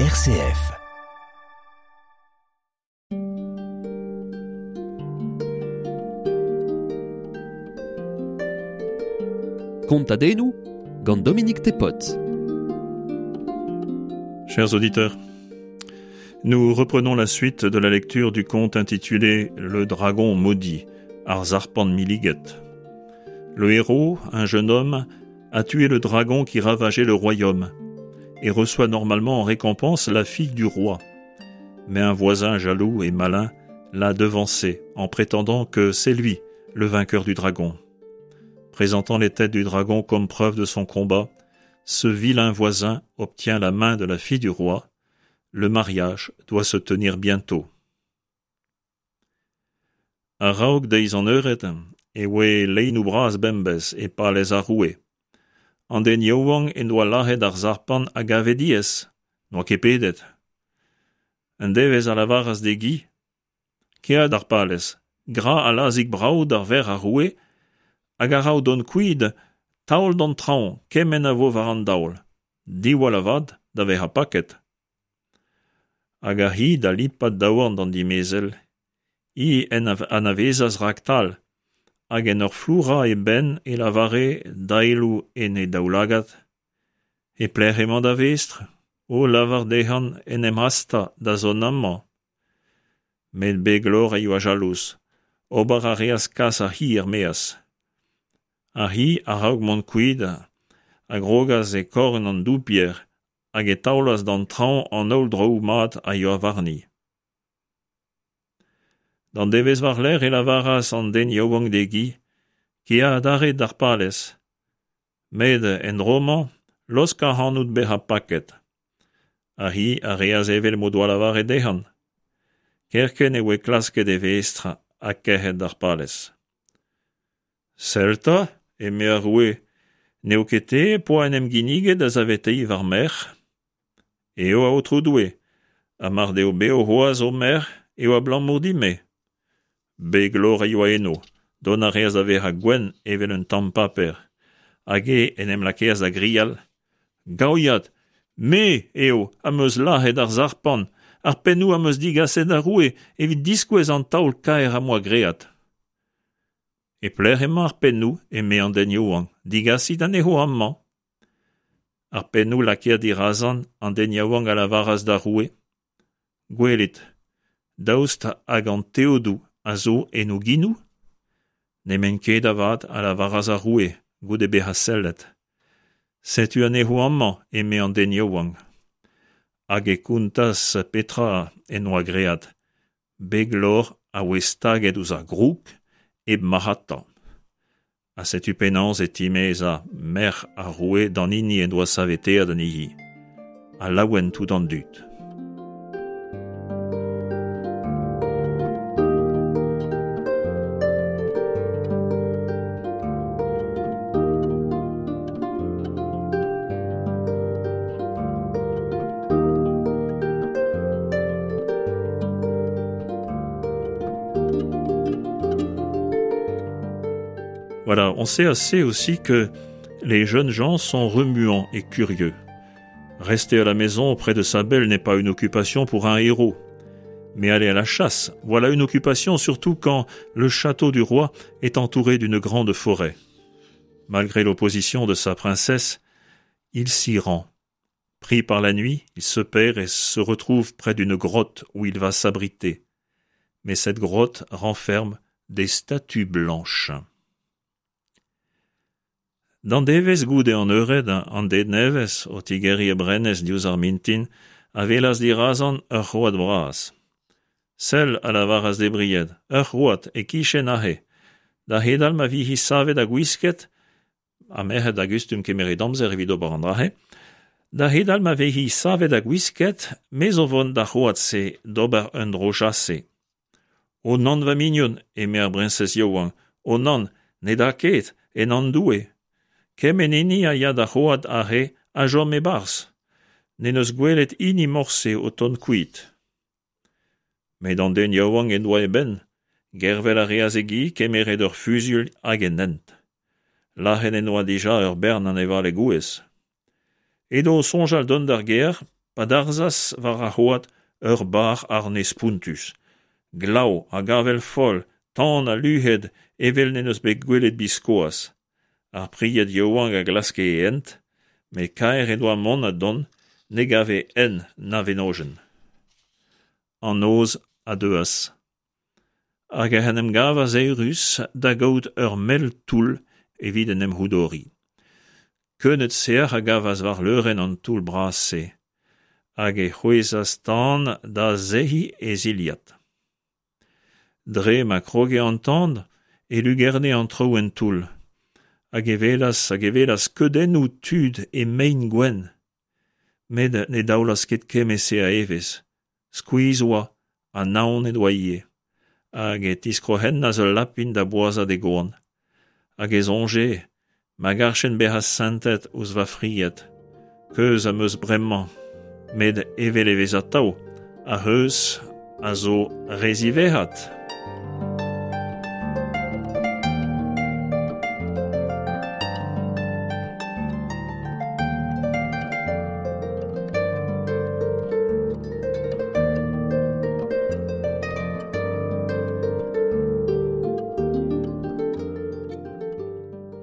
RCF. Kontadennoù gant Dominique Tepot. Chers auditeurs, nous reprenons la suite de la lecture du conte intitulé Le dragon maudit, Ar Sarpant Milliget. Le héros, un jeune homme, a tué le dragon qui ravageait le royaume et reçoit normalement en récompense la fille du roi. Mais un voisin jaloux et malin l'a devancé en prétendant que c'est lui le vainqueur du dragon. Présentant les têtes du dragon comme preuve de son combat, ce vilain voisin obtient la main de la fille du roi. Le mariage doit se tenir bientôt. A-raok deiz an eured e oe leinoù bras bembez e palez ar roue. An den yaouank en doa lazhet ar sarpant a gave diaes, n'oa ket pedet. Un devezh a lavaras d'e gi Kea d'ar palez, gra allazig brav d'ar verc'h ar roue, hag a-raok dont kuit, taol d'an traoñ kement a vo war an daol. Diwall avat da vezañ paket. Hag ar c'hi da lipat daouarn d'an dimezell. Hi en anavezas raktal, hag en ur flourañ e benn e lavare, daeloù en he daoulagad: E pelec'h emañ da vestr? O lavar dezhañ en em hastañ da zont amañ. Met Beglor a yoa jalouz. Ober a reas kas ar c'hi er-maez. Ar c'hi, a-raok mont kuit, a grogas e korn an doupier hag e taolas d'an traoñ an holl draoù mat a yoa warni. D'an devezh war-lerc'h e lavaras an den yaouank d'e gi Kea adarre d'ar palez. Met en dro-mañ, laosk ac'hanout bezañ paket. Ar c'hi a reas evel m'o doa lavaret dezhañ. Kerkent e voe klasket e vestr ha kerc'het d'ar palez. Sell 'ta, eme ar roue, n'eo ket te poa en em ginniget da saveteiñ war merc'h? Eo, Aotrou Doue, ha mar deo bev c'hoazh ho merc'h eo abalamour din-me. Beglor a yoa eno, dont a reas da vezañ gwenn evel un tamm paper, hag e en em lakaas da grial Gaouiad, me eo am eus lazhet ar sarpant, ar pennoù am eus digaset d'ar roue evit diskouez an taol kaer am boa graet. E pelec'h emañ ar pennoù, eme an den yaouank, digasit anezho amañ. Ar pennoù lakaet dirazañ, an den yaouank a lavaras d'ar roue: Gwelit, daoust hag an teodoù a zo en o genoù? N'emaint ket avat, a lavaras ar roue, goude bezañ sellet. Setu anezho amañ, eme an den yaouank. Hag e kontas petra en doa graet. Beglor a voe staget ouzh ar groug hep marc'hatañ. Ha setu penaos e timezañ merc'h ar roue d'an hini en doa saveteet anezhi. Ha laouen tout an dud. Voilà, on sait assez aussi que les jeunes gens sont remuants et curieux. Rester à la maison auprès de sa belle n'est pas une occupation pour un héros. Mais aller à la chasse, voilà une occupation surtout quand le château du roi est entouré d'une grande forêt. Malgré l'opposition de sa princesse, il s'y rend. Pris par la nuit, il se perd et se retrouve près d'une grotte où il va s'abriter. Mais cette grotte renferme des statues blanches. D'an devezh goude an eured, an den nevez, o tigeriñ e brenez diouzh ar mintin, a welas dirazañ ur c'hoad bras. Sell, a lavaras d'e bried, ur c'hoad, e-kichen aze. Da c'hedal ma vi-hi savet ha gwisket, ha merc'hed a gustum kemeret amzer evit ober an dra-se, da c'hedal ma vez-hi savet ha gwisket, me zo vont d'ar c'hoad-se d'ober un dro chase. O nann, va mignon, eme ar briñsez yaouank, o nann, ne da ket, en an' Doue. Kement hini a ya d'ar c'hoad aze a chom e-barzh. N'en deus gwelet hini morse o tont kuit. Met an den yaouank en doa e benn. Gervel a reas e gi, kemeret ur fuzuilh hag en hent. Lazhet en doa dija ur bern anevaled gouez. Edo o soñjal dont d'ar gêr pa darzhas war ar c'hoad ur barr arne spontus. Glav hag avel foll, tan ha luc'hed evel n'en deus bet gwelet biskoazh. Ar pried yaouank a glaske e hent, met kaer en doa mont ha dont, ne gave hent na wenodenn. An noz a deuas, hag ec'h en em gavas eürus da gaout ur mell toull evit en em c'houdoriñ. Keuneud sec'h a gavas war leurenn an toull bras-se, hag e c'hwezhas tan da sec'hiñ e zilhad. Dre ma kroge an tan e lugerne an traoù en toull, hag e welas hag e welas skeudennoù tud e mein gwenn. Met ne daolas ket kement-se a evezh, skuizh oa ha naon en doa ivez, hag e tiskroc'hennas ul lapin da boazhat e goan. Hag e soñje Ma garjen bezañ sentet ouzh va fried, keuz am eus bremañ, met evel e vez atav, ar c'heuz a zo re ziwezhat.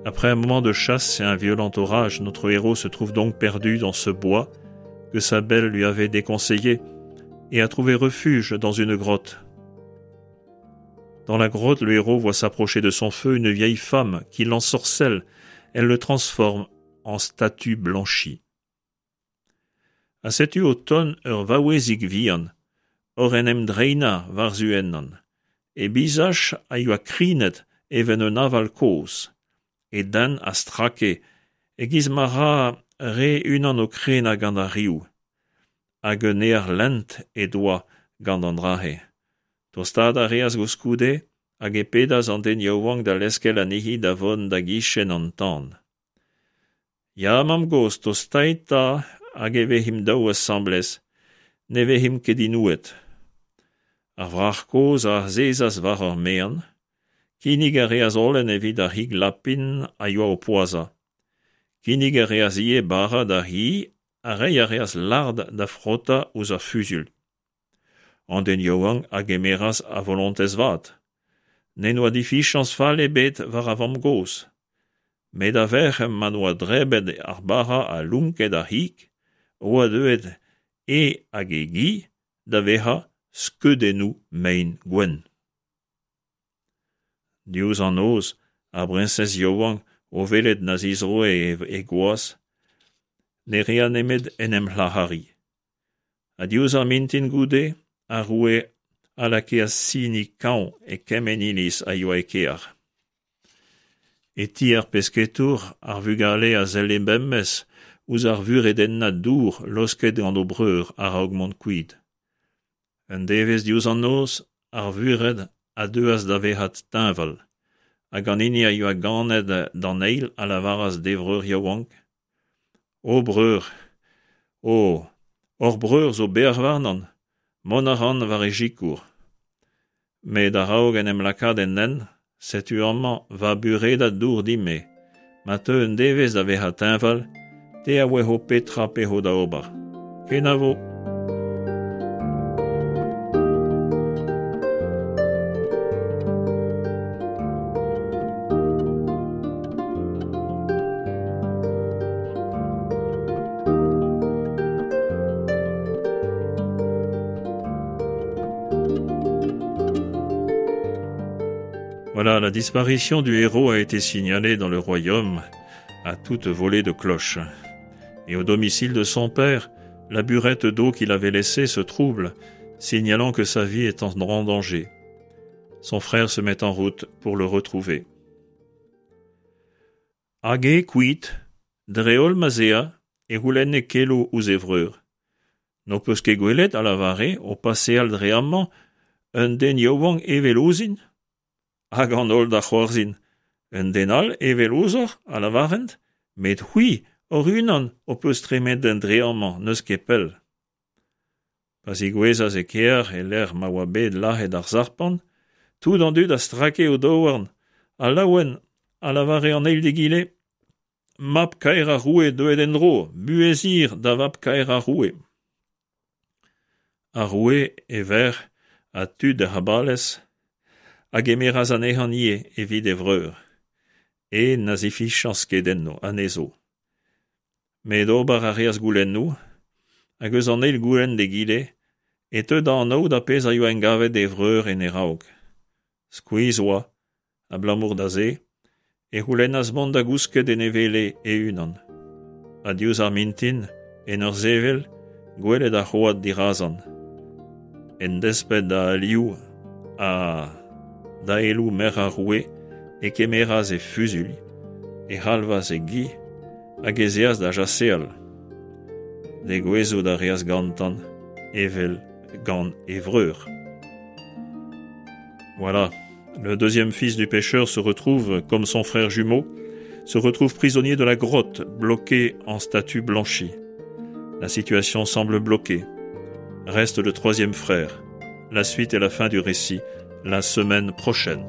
Après un moment de chasse et un violent orage, notre héros se trouve donc perdu dans ce bois que sa belle lui avait déconseillé et a trouvé refuge dans une grotte. Dans la grotte, le héros voit s'approcher de son feu une vieille femme qui l'ensorcelle. Elle le transforme en statue blanchie. Ha setu o tont ur vaouezig vihan, oc'h en em dreinañ war-zu ennon. He bizaj a yoa krinet evel un aval kozh. E dent a strake e-giz ma ra re unan o krenañ gant ar riv. Hag un aer lent he doa gant an dra-se. Tostaat a reas koulskoude hag e pedas an den yaouank da leskel anezhi da vont da gichen an tan. Ya, mamm-gozh, tostait 'ta hag e vezimp daou asambles, ne vezimp ket inouet. Ar wrac'h kozh a azezas war ur maen, kinnig a reas holen evit ar c'hig lapin a yoa o poazhañ. Kinnig a reas ivez bara d'ar c'hi ha reiñ a reas lard da frotañ ouzh ar fuzuilh. An den yaouank a gemeras a volontez vat. N'en doa difiziañs fall ebet war ar vamm-gozh. Met a-vec'h ma 'noa drebet ar bara ha lonket ar c'hig, oa deuet e hag e gi da vezañ skeudennoù mein gwenn. Diouzh an noz, ar briñsez yaouank, o welet na zizroe he gwaz, ne rea nemet en em c'hlac'hariñ. Ha diouzh ar mintin goude, ar roue a lakaas siniñ kañv e kement iliz a yoa e kêr. E ti ar pesketour, ar vugale a selle bemdez ouzh ar vuredennad dour laosket gant o breur a-raok mont kuit. Un devezh diouzh an noz, ar vured a deuas da vezañ teñval, hag an hini a yoa ganet d'an eil a lavaras d'e vreur yaouank O breur, o, hor breur zo bec'h warnan, mont a ran war e sikour. Met a-raok en em lakaat en hent, setu amañ va buredad dour din-me. Ma teu un devezh da vezañ teñval, te a ouezo petra 'pezo da ober. Kenavo! Voilà, la disparition du héros a été signalée dans le royaume à toute volée de cloches. Et au domicile de son père, la burette d'eau qu'il avait laissée se trouble, signalant que sa vie est en grand danger. Son frère se met en route pour le retrouver. Hag eo kuit, dre-holl ma'z ea, e c'houlenne keloù ouzh e vreur. N'ho peus ket gwelet, a lavare, o paseal dre amañ, un den yaouank evel ouzhin? Hag an holl da c'hoarzhin. Un den all evel ouzhoc'h, a lavarent, met c'hwi, hoc'h-unan, ho peus tremenet dre amañ n'eus ket pell. Pa zigouezhas e kêr e-lec'h ma oa bet lazhet ar sarpant, tout an dud a strake o daouarn, ha laouen a lavare an eil d'egile Mab-kaer ar roue deuet en-dro, buhez hir da vab-kaer ar roue. Ar roue, e verc'h ha tud ar balez a gemeras anezhañ ivez evit e vreur. En na zifichañs ket enno anezho. Met ober a reas goulennoù, hag eus an eil goulenn d'egile e teu da anaout ar pezh a yoa engavet d'e vreur en e raok. Skuizh oa, abalamour da se e c'houlennas mont da gousket en e wele e-unan. Ha diouzh ar mintin, en ur sevel, gwelet ar c'hoad dirazan. En desped da alioù ha daeloù merc'h ar roue e kemeras e fuzuilh, e c'halvas e gi hag ez eas da chaseal. Degouezhout a reas gantan evel gant e vreur. Voilà, le deuxième fils du pêcheur se retrouve, comme son frère jumeau, se retrouve prisonnier de la grotte, bloqué en statue blanchie. La situation semble bloquée. Reste le troisième frère. La suite et la fin du récit la semaine prochaine.